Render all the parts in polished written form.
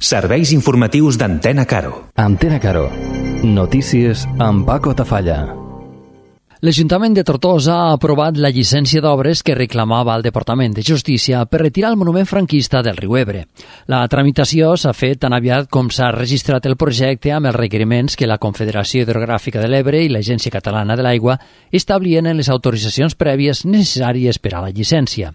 Serveis informatius d'Antena Caro. Antena Caro. Notícies amb Paco Tafalla. L'Ajuntament de Tortosa ha aprovat la llicència d'obres que reclamava el Departament de Justícia per retirar el monument franquista del riu Ebre. La tramitació s'ha fet tan aviat com s'ha registrat el projecte amb els requeriments que la Confederació Hidrogràfica de l'Ebre i l'Agència Catalana de l'Aigua establien en les autoritzacions prèvies necessàries per a la llicència.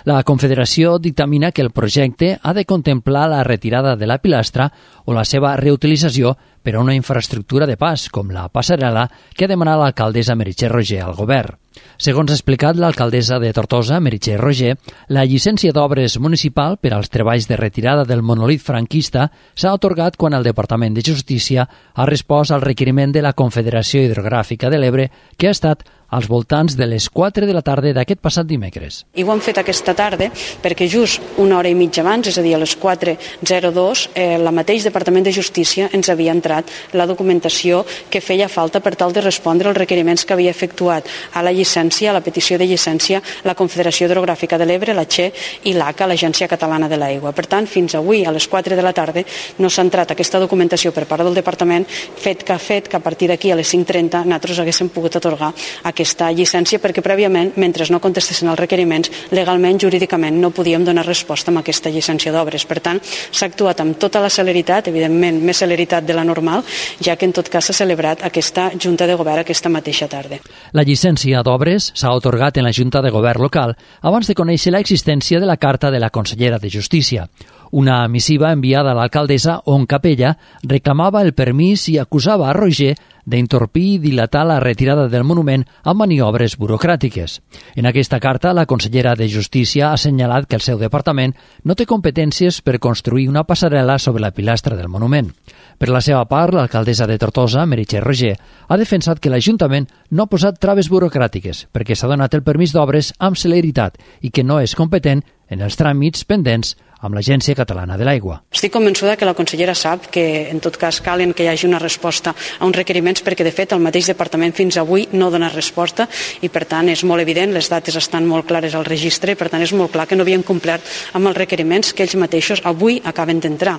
La Confederació dictamina que el projecte ha de contemplar la retirada de la pilastra o la seva reutilització per a una infraestructura de pas, com la passarel·la que ha demanat l'alcaldessa Meritxell Roger al govern. Segons ha explicat l'alcaldessa de Tortosa, Meritxell Roger, la llicència d'obres municipal per als treballs de retirada del monolit franquista s'ha atorgat quan el Departament de Justícia ha respost al requeriment de la Confederació Hidrogràfica de l'Ebre, que ha estat als voltants de les 4 de la tarda d'aquest passat dimecres. I ho hem fet aquesta tarda perquè just una hora i mitja abans, és a dir, a les 4:02, la mateix Departament de Justícia ens havia entrat la documentació que feia falta per tal de respondre als requeriments que havia efectuat a la llicència, a la petició de llicència, la Confederació Hidrogràfica de l'Ebre, la CHE i l'ACA, l'Agència Catalana de l'Aigua. Per tant, fins avui, a les 4 de la tarda, no s'ha entrat aquesta documentació per part del Departament, fet que a partir d'aquí a les 5:30 nosaltres haguéssim pogut atorgar aquesta llicència perquè prèviament, mentre no contestessin els requeriments, legalment, jurídicament, no podíem donar resposta amb aquesta llicència d'obres. Per tant, s'ha actuat amb tota la celeritat, evidentment més celeritat de la normal, ja que en tot cas s'ha celebrat aquesta Junta de Govern aquesta mateixa tarda. La llicència d'obres s'ha atorgat en la Junta de Govern local abans de conèixer l'existència de la carta de la consellera de Justícia. Una missiva enviada a l'alcaldessa on Capella reclamava el permís i acusava a Roger d'entorpir i dilatar la retirada del monument amb maniobres burocràtiques. En aquesta carta, la consellera de Justícia ha assenyalat que el seu departament no té competències per construir una passarel·la sobre la pilastra del monument. Per la seva part, l'alcaldessa de Tortosa, Meritxell Roger, ha defensat que l'Ajuntament no ha posat traves burocràtiques perquè s'ha donat el permís d'obres amb celeritat i que no és competent en els tràmits pendents amb l'Agència Catalana de l'Aigua. Estic convençuda que la consellera sap que en tot cas calen que hi hagi una resposta a uns requeriments perquè de fet el mateix departament fins avui no dona resposta i per tant és molt evident, les dates estan molt clares al registre i per tant és molt clar que no havien complert amb els requeriments que ells mateixos avui acaben d'entrar.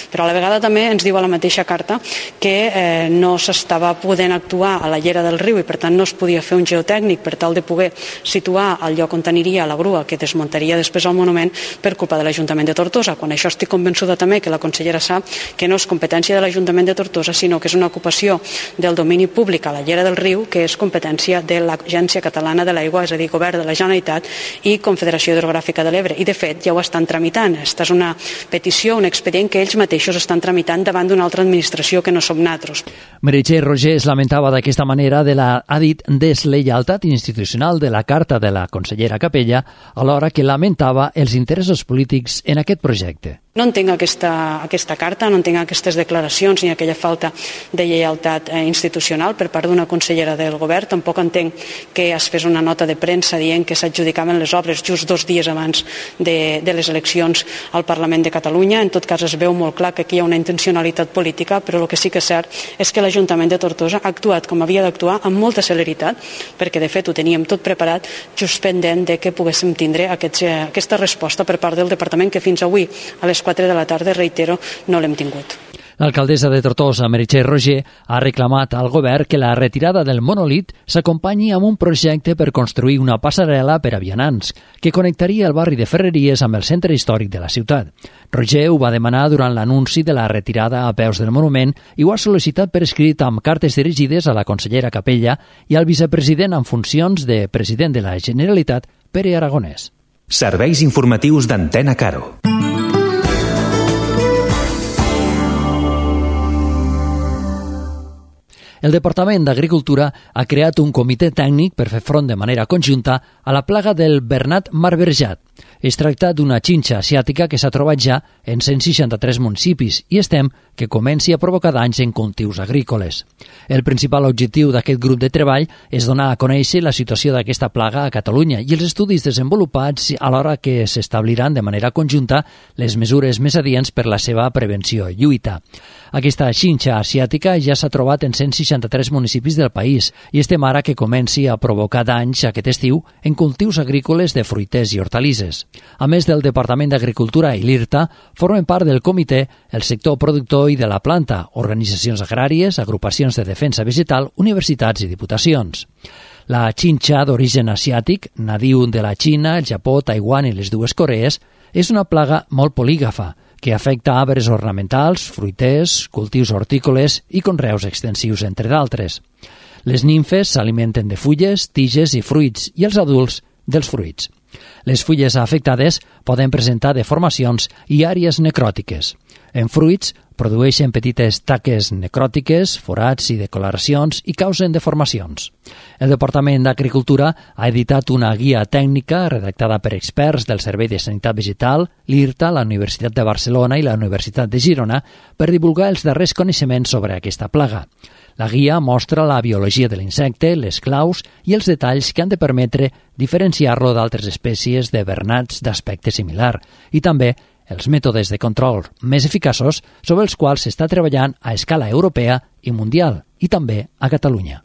Però a la vegada també ens diu a la mateixa carta que no s'estava podent actuar a la llera del riu i per tant no es podia fer un geotècnic per tal de poder situar el lloc on aniria la grua que desmuntaria després el monument per culpa de l'Ajuntament de Tortosa, quan això estic convençuda també que la consellera sap que no és competència de l'Ajuntament de Tortosa, sinó que és una ocupació del domini públic a la llera del riu, que és competència de l'Agència Catalana de l'Aigua, és a dir, Govern de la Generalitat i Confederació Hidrogràfica de l'Ebre. I de fet ja ho estan tramitant. Esta és una petició, un expedient que ells mateixos estan tramitant davant d'una altra administració que no som nosaltres. Meritxell Roger es lamentava d'aquesta manera de la, ha dit, deslleialtat institucional de la carta de la consellera Capella, alhora que lamentava els interessos polítics en aquest projecte. No entenc aquesta carta, no entenc aquestes declaracions ni aquella falta de lleialtat institucional per part d'una consellera del govern. Tampoc entenc que es fes una nota de premsa dient que s'adjudicaven les obres just 2 dies abans de les eleccions al Parlament de Catalunya. En tot cas es veu molt clar que aquí hi ha una intencionalitat política, però el que sí que és cert és que l'Ajuntament de Tortosa ha actuat com havia d'actuar amb molta celeritat, perquè de fet ho teníem tot preparat, just pendent de que poguéssim tindre aquesta resposta per part del Departament que fins avui a les 4 de la tarda, reitero, no l'hem tingut. L'alcaldessa de Tortosa, Meritxell Roger, ha reclamat al govern que la retirada del monolit s'acompanyi amb un projecte per construir una passarel·la per a vianants que connectaria el barri de Ferreries amb el centre històric de la ciutat. Roger ho va demanar durant l'anunci de la retirada a peus del monument i ho ha sol·licitat per escrit amb cartes dirigides a la consellera Capella i al vicepresident en funcions de president de la Generalitat, Pere Aragonès. Serveis informatius d'Antena Caro. El Departament d'Agricultura ha creat un comitè tècnic per fer front de manera conjunta a la plaga del bernat marverjat. Es tracta d'una xinxa asiàtica que s'ha trobat ja en 163 municipis i es tem que comenci a provocar danys en cultius agrícoles. El principal objectiu d'aquest grup de treball és donar a conèixer la situació d'aquesta plaga a Catalunya i els estudis desenvolupats alhora que s'establiran de manera conjunta les mesures més adients per la seva prevenció i lluita. Aquesta xinxa asiàtica ja s'ha trobat en 160 63 municipis del país i estem ara que comenci a provocar danys aquest estiu en cultius agrícoles de fruiters i hortalisses. A més del Departament d'Agricultura i l'IRTA, formen part del comitè el sector productor i de la planta, organitzacions agràries, agrupacions de defensa vegetal, universitats i diputacions. La xinxa d'origen asiàtic, nadiu de la Xina, el Japó, Taiwan i les dues Corees, és una plaga molt polígafa que afecta arbres ornamentals, fruiters, cultius hortícoles i conreus extensius, entre d'altres. Les nimfes s'alimenten de fulles, tiges i fruits i els adults dels fruits. Les fulles afectades poden presentar deformacions i àrees necròtiques. En fruits, produeixen petites taques necròtiques, forats i decoloracions i causen deformacions. El Departament d'Agricultura ha editat una guia tècnica redactada per experts del Servei de Sanitat Vegetal, l'IRTA, la Universitat de Barcelona i la Universitat de Girona per divulgar els darrers coneixements sobre aquesta plaga. La guia mostra la biologia de l'insecte, les claus i els detalls que han de permetre diferenciar-lo d'altres espècies de bernats d'aspecte similar i també els mètodes de control més eficaços sobre els quals s'està treballant a escala europea i mundial, i també a Catalunya.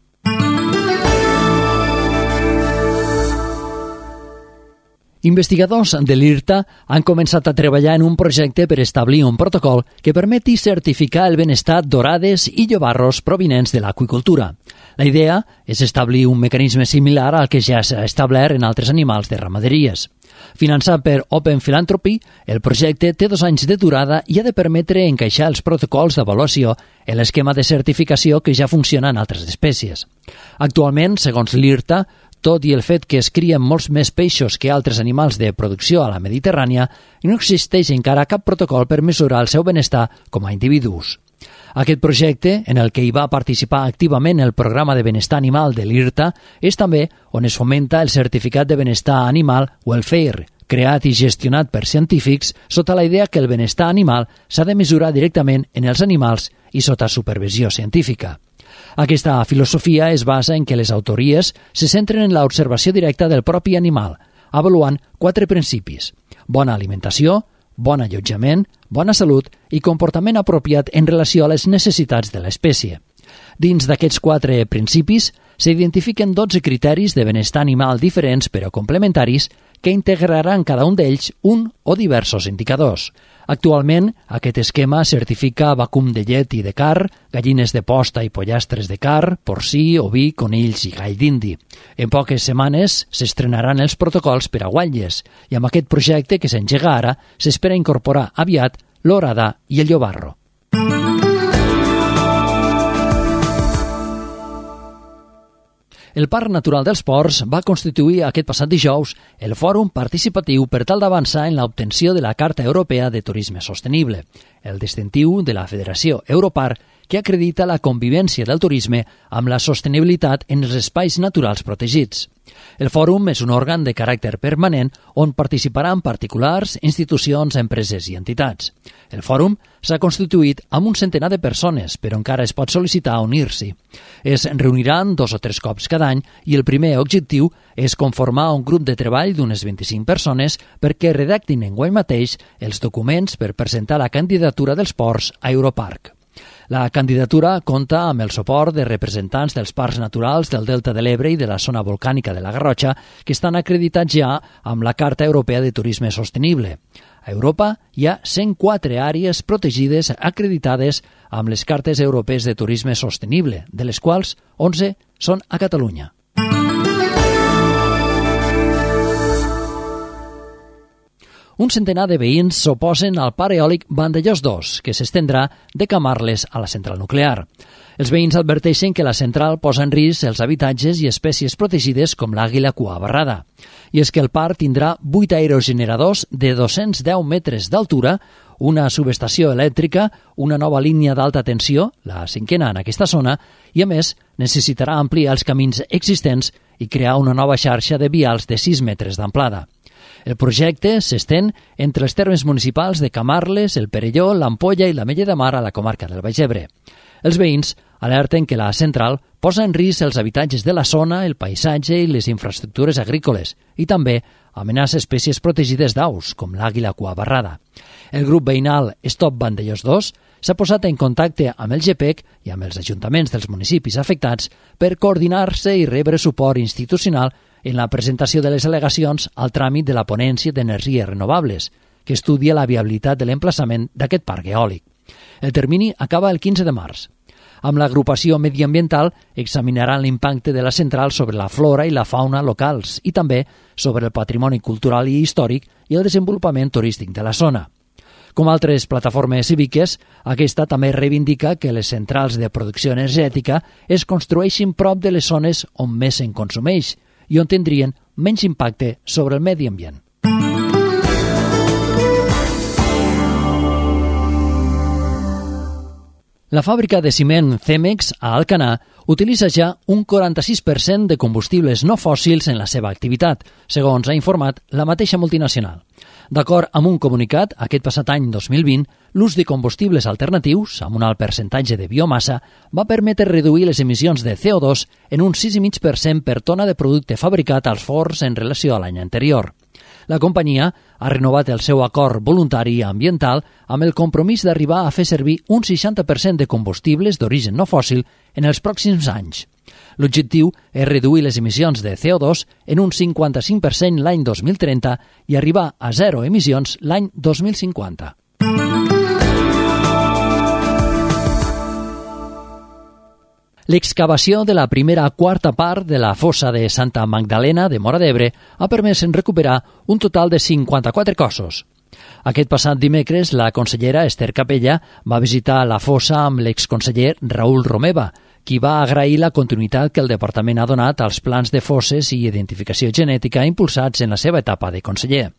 Investigadors de l'IRTA han començat a treballar en un projecte per establir un protocol que permeti certificar el benestar d'orades i llobarros provinents de l'aqüicultura. La idea és establir un mecanisme similar al que ja s'ha establert en altres animals de ramaderies. Finançat per Open Philanthropy, el projecte té 2 anys de durada i ha de permetre encaixar els protocols d'avaluació en l'esquema de certificació que ja funciona en altres espècies. Actualment, segons l'IRTA, tot i el fet que es crien molts més peixos que altres animals de producció a la Mediterrània, no existeix encara cap protocol per mesurar el seu benestar com a individus. Aquest projecte, en el que hi va participar activament el programa de benestar animal de l'IRTA, és també on es fomenta el certificat de benestar animal Welfare, creat i gestionat per científics sota la idea que el benestar animal s'ha de mesurar directament en els animals i sota supervisió científica. Aquesta filosofia es basa en que les autories se centren en l'observació directa del propi animal, avaluant 4 principis: bona alimentació, bon allotjament, bona salut i comportament apropiat en relació a les necessitats de l'espècie. Dins d'aquests 4 principis s'identifiquen 12 criteris de benestar animal diferents però complementaris que integraran cada un d'ells un o diversos indicadors. Actualment, aquest esquema certifica vacum de llet i de car, gallines de posta i pollastres de car, porcí, oví, conills i gall d'indi. En poques setmanes s'estrenaran els protocols per a guatlles i amb aquest projecte que s'engega ara s'espera incorporar aviat l'orada i el llobarro. El Parc Natural dels Ports va constituir aquest passat dijous el fòrum participatiu per tal d'avançar en l'obtenció de la Carta Europea de Turisme Sostenible, el distintiu de la Federació Europarc que acredita la convivència del turisme amb la sostenibilitat en els espais naturals protegits. El fòrum és un òrgan de caràcter permanent on participaran particulars, institucions, empreses i entitats. El fòrum s'ha constituït amb un centenar de persones, però encara es pot sol·licitar unir-s'hi. Es reuniran 2 o 3 cops cada any i el primer objectiu és conformar un grup de treball d'unes 25 persones perquè redactin enguany mateix els documents per presentar la candidatura dels ports a Europarc. La candidatura compta amb el suport de representants dels parcs naturals del Delta de l'Ebre i de la zona volcànica de la Garrotxa, que estan acreditats ja amb la Carta Europea de Turisme Sostenible. A Europa hi ha 104 àrees protegides acreditades amb les Cartes Europees de Turisme Sostenible, de les quals 11 són a Catalunya. Un centenar de veïns s'oposen al parc eòlic Vandellòs 2, que s'estendrà de Camarles a la central nuclear. Els veïns adverteixen que la central posa en risc els habitatges i espècies protegides com l'àguila cua barrada. I és que el parc tindrà 8 aerogeneradors de 210 metres d'altura, una subestació elèctrica, una nova línia d'alta tensió, la 5ª en aquesta zona, i a més necessitarà ampliar els camins existents i crear una nova xarxa de vials de 6 metres d'amplada. El projecte s'estén entre els termes municipals de Camarles, el Perelló, l'Ampolla i l'Ametlla de Mar a la comarca del Baix Ebre. Els veïns alerten que la central posa en risc els habitatges de la zona, el paisatge i les infraestructures agrícoles i també amenaça espècies protegides d'aus, com l'àguila cua barrada. El grup veïnal Stop Vandellós 2 s'ha posat en contacte amb el GPEC i amb els ajuntaments dels municipis afectats per coordinar-se i rebre suport institucional en la presentació de les al·legacions al tràmit de la ponència d'energies renovables, que estudia la viabilitat de l'emplaçament d'aquest parc eòlic. El termini acaba el 15 de març. Amb l'agrupació mediambiental examinaran l'impacte de la central sobre la flora i la fauna locals i també sobre el patrimoni cultural i històric i el desenvolupament turístic de la zona. Com altres plataformes cíviques, aquesta també reivindica que les centrals de producció energètica es construeixin prop de les zones on més se'n consumeix i on tindrien menys impacte sobre el medi ambient. La fàbrica de ciment Cemex a Alcanar utilitza ja un 46% de combustibles no fòssils en la seva activitat, segons ha informat la mateixa multinacional. D'acord amb un comunicat, aquest passat any 2020, l'ús de combustibles alternatius, amb un alt percentatge de biomassa, va permetre reduir les emissions de CO2 en un 6,5% per tona de producte fabricat als forns en relació a l'any anterior. La companyia ha renovat el seu acord voluntari ambiental amb el compromís d'arribar a fer servir un 60% de combustibles d'origen no fòssil en els pròxims anys. L'objectiu és reduir les emissions de CO2 en un 55% l'any 2030 i arribar a zero emissions l'any 2050. L'excavació de la primera quarta part de la fossa de Santa Magdalena de Móra d'Ebre ha permès recuperar un total de 54 cossos. Aquest passat dimecres, la consellera Esther Capella va visitar la fossa amb l'exconseller Raül Romeva, qui va agrair la continuïtat que el departament ha donat als plans de fosses i identificació genètica impulsats en la seva etapa de conseller.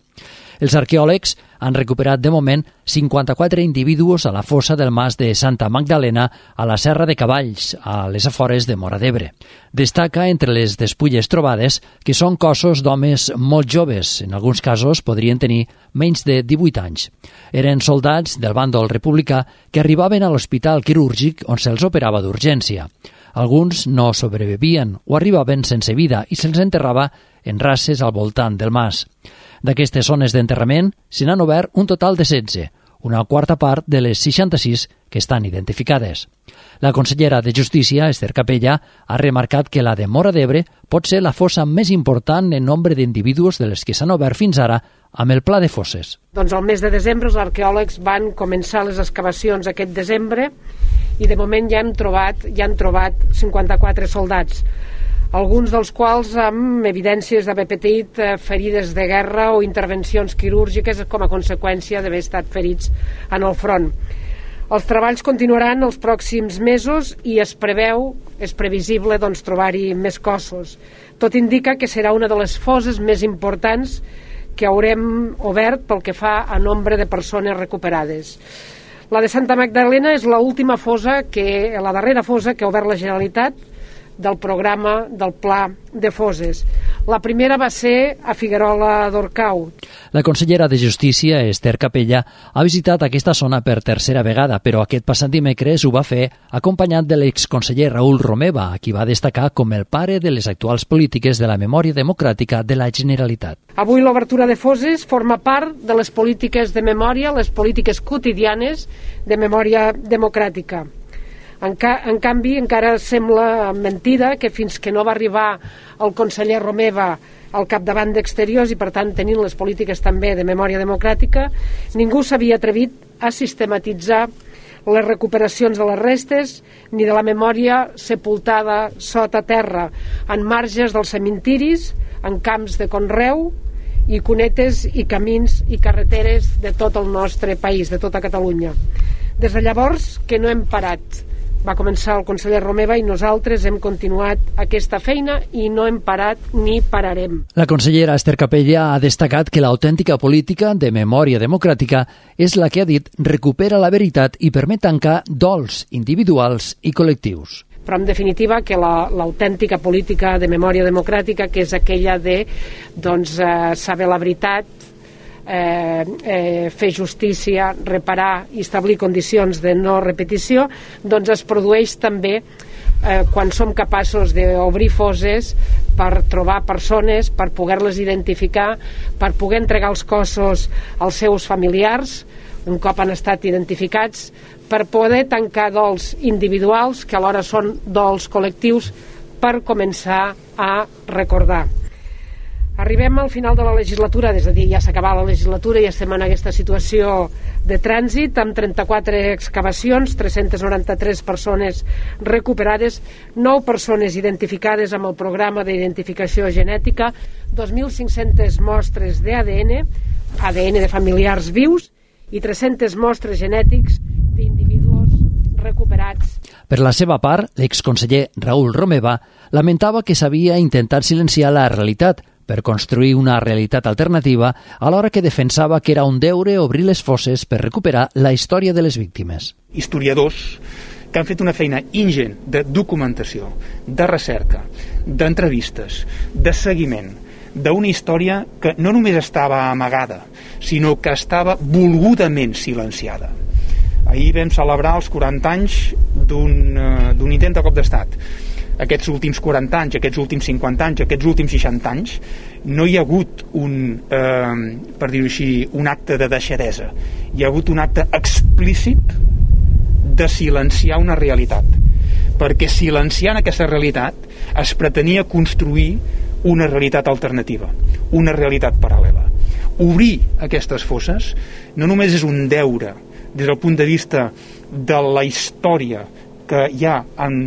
Els arqueòlegs han recuperat de moment 54 individus a la fossa del mas de Santa Magdalena a la Serra de Cavalls, a les afores de Móra d'Ebre. Destaca entre les despulles trobades que són cossos d'homes molt joves, en alguns casos podrien tenir menys de 18 anys. Eren soldats del bàndol republicà que arribaven a l'hospital quirúrgic on se'ls operava d'urgència. Alguns no sobrevivien o arribaven sense vida i se'ls enterrava en rases al voltant del mas. D'aquestes zones d'enterrament se n'han obert un total de 16, una quarta part de les 66 que estan identificades. La consellera de Justícia, Esther Capella, ha remarcat que la de Móra d'Ebre pot ser la fossa més important en nombre d'individus de les que s'han obert fins ara amb el pla de fosses. Doncs al mes de desembre els arqueòlegs van començar les excavacions aquest desembre i de moment ja han trobat 54 soldats, alguns dels quals amb evidències d'haver patit ferides de guerra o intervencions quirúrgiques com a conseqüència d'haver estat ferits en el front. Els treballs continuaran els pròxims mesos i és previsible trobar-hi més cossos. Tot indica que serà una de les fosses més importants que haurem obert pel que fa a nombre de persones recuperades. La de Santa Magdalena és l'última fossa, la darrera fossa que ha obert la Generalitat del programa del Pla de Fosses. La primera va ser a Figuerola d'Orcau. La consellera de Justícia, Esther Capella, ha visitat aquesta zona per tercera vegada, però aquest passat dimecres ho va fer acompanyat de l'exconseller Raül Romeva, a qui va destacar com el pare de les actuals polítiques de la memòria democràtica de la Generalitat. Avui l'obertura de fosses forma part de les polítiques de memòria, les polítiques quotidianes de memòria democràtica. En canvi, encara sembla mentida que fins que no va arribar el conseller Romeva al capdavant d'Exteriors i, per tant, tenint les polítiques també de memòria democràtica, ningú s'havia atrevit a sistematitzar les recuperacions de les restes ni de la memòria sepultada sota terra, en marges dels cementiris, en camps de conreu i cunetes i camins i carreteres de tot el nostre país, de tota Catalunya. Des de llavors que no hem parat. Va començar el conseller Romeva i nosaltres hem continuat aquesta feina i no hem parat ni pararem. La consellera Esther Capella ha destacat que l'autèntica política de memòria democràtica és la que ha dit recupera la veritat i permet tancar dols individuals i col·lectius. Però en definitiva que l'autèntica política de memòria democràtica, que és aquella de saber la veritat, fer justícia, reparar i establir condicions de no repetició, doncs es produeix també quan som capaços d'obrir fosses per trobar persones, per poder-les identificar, per poder entregar els cossos als seus familiars un cop han estat identificats, per poder tancar dols individuals que alhora són dols col·lectius, per començar a recordar. Arribem al final de la legislatura, és a dir, ja s'ha acabat la legislatura i estem en aquesta situació de trànsit, amb 34 excavacions, 393 persones recuperades, 9 persones identificades amb el programa d'identificació genètica, 2.500 mostres d'ADN, ADN de familiars vius, i 300 mostres genètics d'individus recuperats. Per la seva part, l'exconseller Raül Romeva lamentava que s'havia intentat silenciar la realitat per construir una realitat alternativa, alhora que defensava que era un deure obrir les fosses per recuperar la història de les víctimes. Historiadors que han fet una feina ingent de documentació, de recerca, d'entrevistes, de seguiment, d'una història que no només estava amagada, sinó que estava volgudament silenciada. Ahir vam celebrar els 40 anys d'un intent de cop d'estat. Aquests últims 40 anys, aquests últims 50 anys, aquests últims 60 anys, no hi ha hagut per dir-ho així, un acte de deixadesa. Hi ha hagut un acte explícit de silenciar una realitat. Perquè silenciant aquesta realitat es pretenia construir una realitat alternativa, una realitat paral·lela. Obrir aquestes fosses no només és un deure des del punt de vista de la història que hi ha en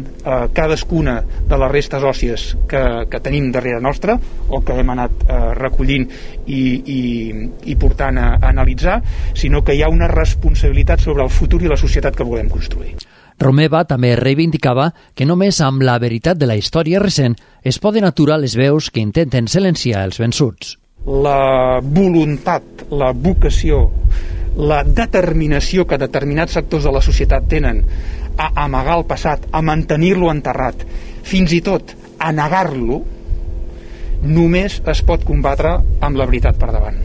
cadascuna de les restes òssies que tenim darrere nostra o que hem anat recollint i portant a analitzar, sinó que hi ha una responsabilitat sobre el futur i la societat que volem construir. Romeva també reivindicava que només amb la veritat de la història recent es poden aturar les veus que intenten silenciar els vençuts. La voluntat, la vocació, la determinació que determinats sectors de la societat tenen a amagar el passat, a mantenir-lo enterrat, fins i tot a negar-lo, només es pot combatre amb la veritat per davant.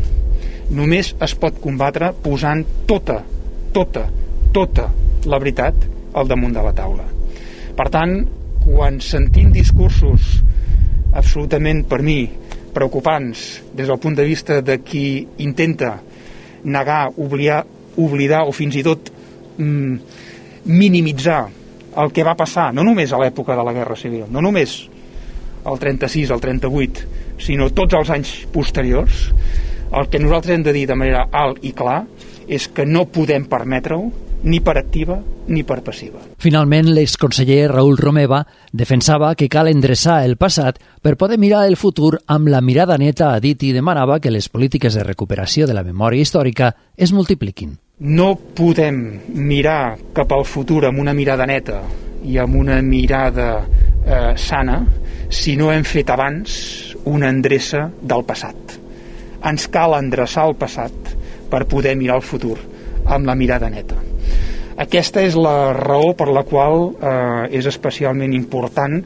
Només es pot combatre posant tota la veritat al damunt de la taula. Per tant, quan sentim discursos absolutament, per mi, preocupants des del punt de vista de qui intenta negar, oblidar o fins i tot minimitzar el que va passar, no només a l'època de la Guerra Civil, no només el 36, el 38, sinó tots els anys posteriors, el que nosaltres hem de dir de manera alt i clar és que no podem permetre-ho ni per activa ni per passiva. Finalment, l'exconseller Raül Romeva defensava que cal endreçar el passat per poder mirar el futur amb la mirada neta, ha dit, i demanava que les polítiques de recuperació de la memòria històrica es multipliquin. No podem mirar cap al futur amb una mirada neta i amb una mirada sana si no hem fet abans una endreça del passat. Ens cal endreçar el passat per poder mirar el futur amb la mirada neta. Aquesta és la raó per la qual és especialment important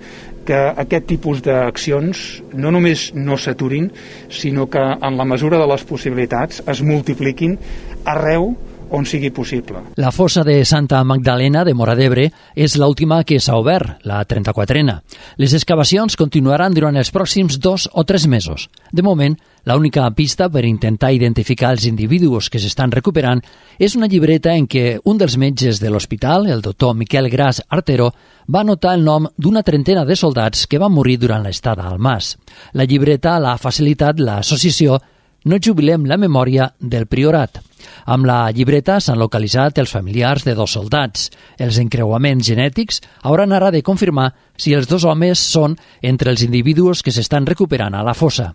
que aquest tipus d'accions no només no s'aturin, sinó que en la mesura de les possibilitats es multipliquin arreu on sigui possible. La fossa de Santa Magdalena de Móra d'Ebre és l'última que s'ha obert, la 34a. Les excavacions continuaran durant els pròxims 2 o 3 mesos. De moment, l'única pista per intentar identificar els individus que s'estan recuperant és una llibreta en què un dels metges de l'hospital, el doctor Miquel Gras Artero, va anotar el nom d'una trentena de soldats que van morir durant l'estada al Mas. La llibreta l'ha facilitat l'associació No jubilem la memòria del Priorat. Amb la llibreta s'han localitzat els familiars de 2 soldats. Els encreuaments genètics hauran ara de confirmar si els 2 homes són entre els individus que s'estan recuperant a la fossa.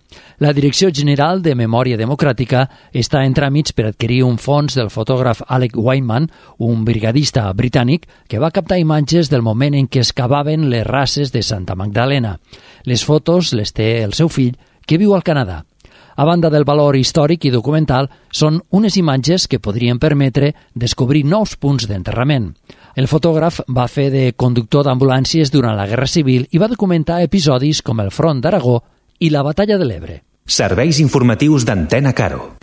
La Direcció General de Memòria Democràtica està en tràmits per adquirir un fons del fotògraf Alec Weinman, un brigadista britànic que va captar imatges del moment en què excavaven les rases de Santa Magdalena. Les fotos les té el seu fill, que viu al Canadà. A banda del valor històric i documental, són unes imatges que podrien permetre descobrir nous punts d'enterrament. El fotògraf va fer de conductor d'ambulàncies durant la Guerra Civil i va documentar episodis com el Front d'Aragó i la Batalla de l'Ebre. Serveis informatius d'Antena Caro.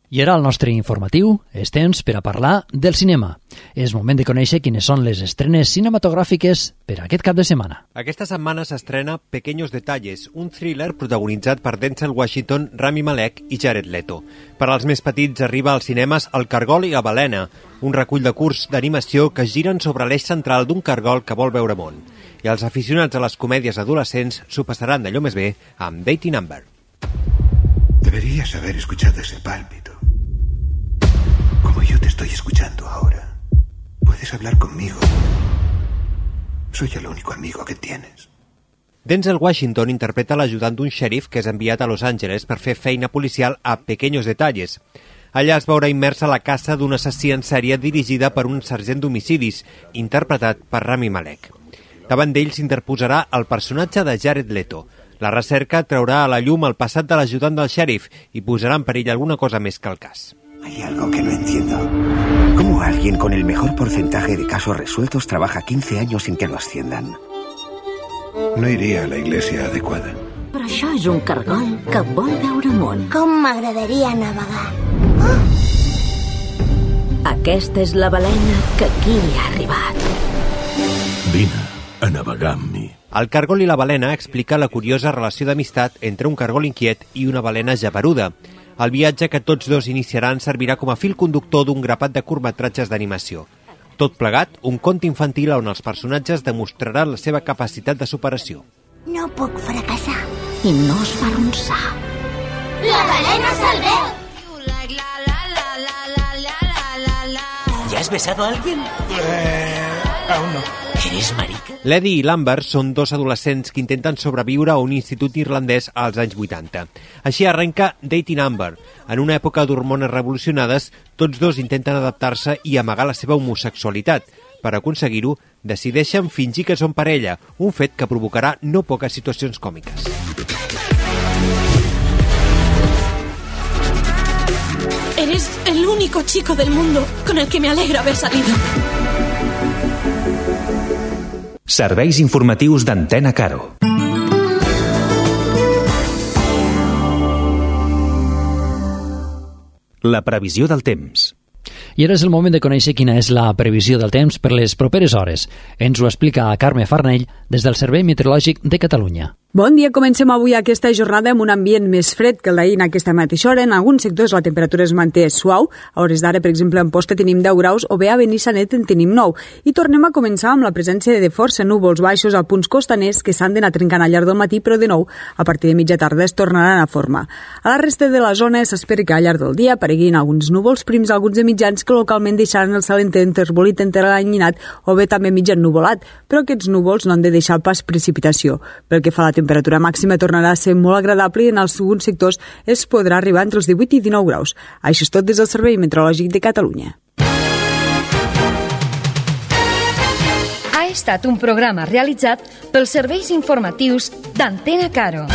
I ara al nostre informatiu és temps per a parlar del cinema. És moment de conèixer quines són les estrenes cinematogràfiques per aquest cap de setmana. Aquesta setmana s'estrena Pequeños Detalles, un thriller protagonitzat per Denzel Washington, Rami Malek i Jared Leto. Per als més petits arriba als cinemes El cargol i la balena, un recull de curts d'animació que giren sobre l'eix central d'un cargol que vol veure món. I els aficionats a les comèdies adolescents s'ho passaran d'allò més bé amb Dating Amber. Deberías haber escuchado ese pálpito. Como yo te estoy escuchando ahora. Puedes hablar conmigo. Soy el único amigo que tienes. Denzel Washington interpreta l'ajudant d'un xèrif que és enviat a Los Angeles per fer feina policial a Pequeños Detalles. Allà es veurà immersa la caça d'un assassí en sèrie dirigida per un sergent d'homicidis, interpretat per Rami Malek. Davant d'ell s'interposarà el personatge de Jared Leto. La recerca traurà a la llum el passat de l'ajudant del xèrif i posarà en perill alguna cosa més que el cas. Hay algo que no entiendo. ¿Cómo alguien con el mejor porcentaje de casos resueltos trabaja 15 años sin que lo asciendan? No iría a la iglesia adecuada. Però això és un cargol que vol veure món. Com m'agradaria navegar. Oh! Aquesta és la balena que aquí ha arribat. Vine a navegar amb mi. El cargol i la balena explica la curiosa relació d'amistat entre un cargol inquiet i una balena geperuda. El viatge que tots dos iniciaran servirà com a fil conductor d'un grapat de curtmetratges d'animació. Tot plegat, un conte infantil on els personatges demostraran la seva capacitat de superació. No puc fracassar. I no es fa arronsar. La balena se'l veu! ¿Ya has besado a alguien? Aún no. ¿Eres marica? L'Eddie i l'Amber són dos adolescents que intenten sobreviure a un institut irlandès als anys 80. Així arrenca Dating Amber. En una època d'hormones revolucionades, tots dos intenten adaptar-se i amagar la seva homosexualitat. Per aconseguir-ho, decideixen fingir que són parella, un fet que provocarà no poques situacions còmiques. Eres el único chico del mundo con el que me alegra haber salido. Serveis informatius d'Antena Caro. La previsió del temps. I ara és el moment de conèixer quina és la previsió del temps per les properes hores. Ens ho explica Carme Farnell des del Servei Meteorològic de Catalunya. Bon dia, comencem avui aquesta jornada amb un ambient més fred que el d'ahir en aquesta mateixa hora. En alguns sectors la temperatura es manté suau. A hores d'ara, per exemple, en Posta tenim 10 graus o bé a Benissanet en tenim 9. I tornem a començar amb la presència de força núvols baixos a punts costaners que s'han d'anar trencant al llarg del matí, però de nou, a partir de mitja tarda es tornaran a formar. A la resta de la zona s'espera que al llarg del dia apareguin alguns núvols prims, alguns de mitjans que localment deixaran el cel enterbolit, enteranyinat o bé també mig ennuvolat, però aquests núvols no han de deixar pas precipitació. Pel que fa a la temperatura màxima tornarà a ser molt agradable i en els segons sectors es podrà arribar entre els 18 i 19 graus. Això és tot des del Servei Meteorològic de Catalunya. Ha estat un programa realitzat pels serveis informatius d'Antena Caro.